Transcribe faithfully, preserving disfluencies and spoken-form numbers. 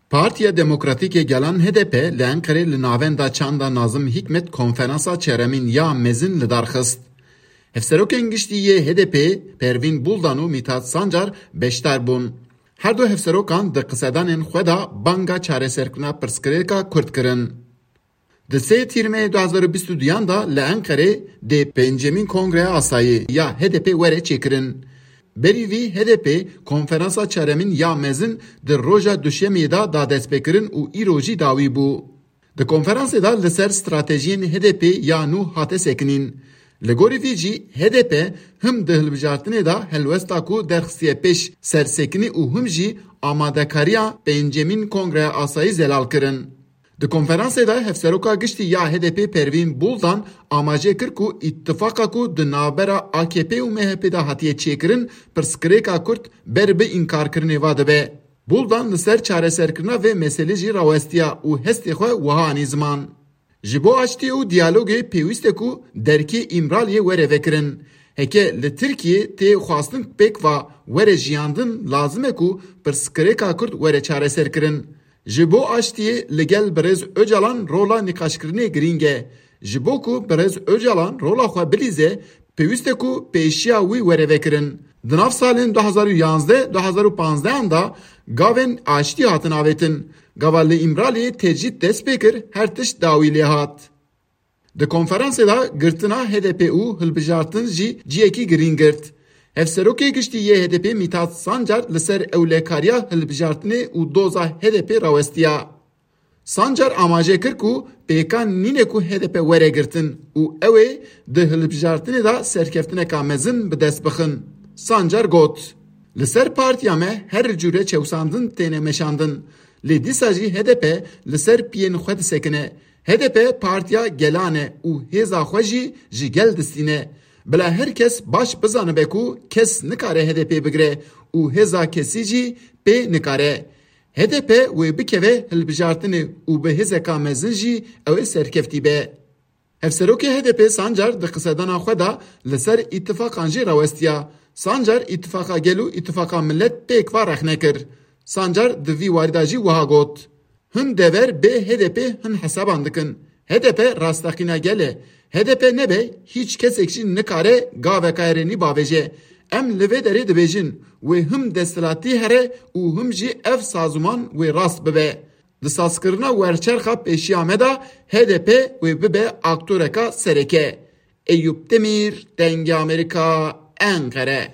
Partiya Demokratîk ê Gelan H D P li Enqerê li navenda çanda Nazim Hikmet konferansa çeremîn ya mezin li dar xist. Hevserokên giştî yê H D P Pervîn Buldan û Mithat Sancar beşdar bûn. Her du hevserokan di qisedanên xwe de banga çareserkirina pirsgirêka Kurd kirin. Di sê Tîrmeyê du hazar û bîst û duyan de li Enqerê dê pêncemîn Kongreya Asayî ya H D P were çêkirin. Berî vî H D P konferansa çaremîn ya mezin di roja Duşemiyê de da destpêkirin û îro jî dawî bû. Di konferansê de li ser stratejiyên H D P ya nû hate sekinîn. Li gorî vî jî H D P him di hilbijartinê de helwesta ku derxistiye pêş sersekinî û him jî amadekariya pêncemîn Kongreya Asayî zelal kirin. Di konferansê de Hevseroka Giştî ya H D P Pervîn Buldan amaje kir ku îtifaqa ku di navbera A K P û M H P de hatiye çêkirin, pirsgirêka Kurd ber bi înkarkirinê va dibe. Buldan li ser çareserkirina vê meselê jî rawestiya û hestê xwe wiha anî ziman. Ji bo aştiyê û diyalogê pêwîst e ku derkê Îmraliyê were vekirin. Heke li Tirkiyê tê xwestin pêk va were jiyandin, lazim e ku pirsgirêka Kurd were çareserkirin. Ji bo aştiyê li gel birêz Ocalan rola nîqaşkirinê girîng e. Ji bo ku birêz Ocalan rola xwe bilîze, pêwîst e ku pêşiya wî were vekirin. Di nav salên du hazar û yanzdeh, du hazar û panzdeh an de gavên aştî hatin avêtin. Gava li Îmraliyê tecrîd dest pê kir, her tişt dawî lê hat. Di konferansê de girtina H D P û hilbijartin jî ciyekî girîng girt. Hevserokê Giştî yê H D P Mithat Sancar li ser ewlekariya hilbijartinê û doza H D P rawestiya. Sancar amaje kir ku pêkan nîne ku H D P were girtin û ew ê di hilbijartinê de serkeftineka mezin bi dest bixin. Sancar got, Li ser partiya me her cûre çewsandin têne meşandin, lê dîsa jî H D P li ser piyên xwe disekine. H D P partiya gelan e û hêza xwe jî ji gel distîne. Bila her kes baş bizanibe ku kes nikare H D P bigire û hêza kesî jî pê nikare. H D P wê bikeve hilbijartinê û bi hêzeka mezin jî ew ê serkeftî be. Hevserokê H D P Sancar di qisedana xwe de li ser îtifaqan jî rawestiya. Sancar îtifaqa gel û îtifaqa milet pêk va rexne kir. Sancar di vî warî de jî wiha got, Hin dever bê H D P hin hesaban dikin. H D P rasteqîna gel e. H D P nebe hîç kesek jî nikare gaveka erênî bavêje. Em li vê derê dibêjin, wê him desthilatî here û him jî ev sazûman wê rast bibe. Di sazkirina werçerxa pêşiya me de H D P wê bibe aktoreka sereke. Eyûp Demîr, Dengê Amerîka, Enqere.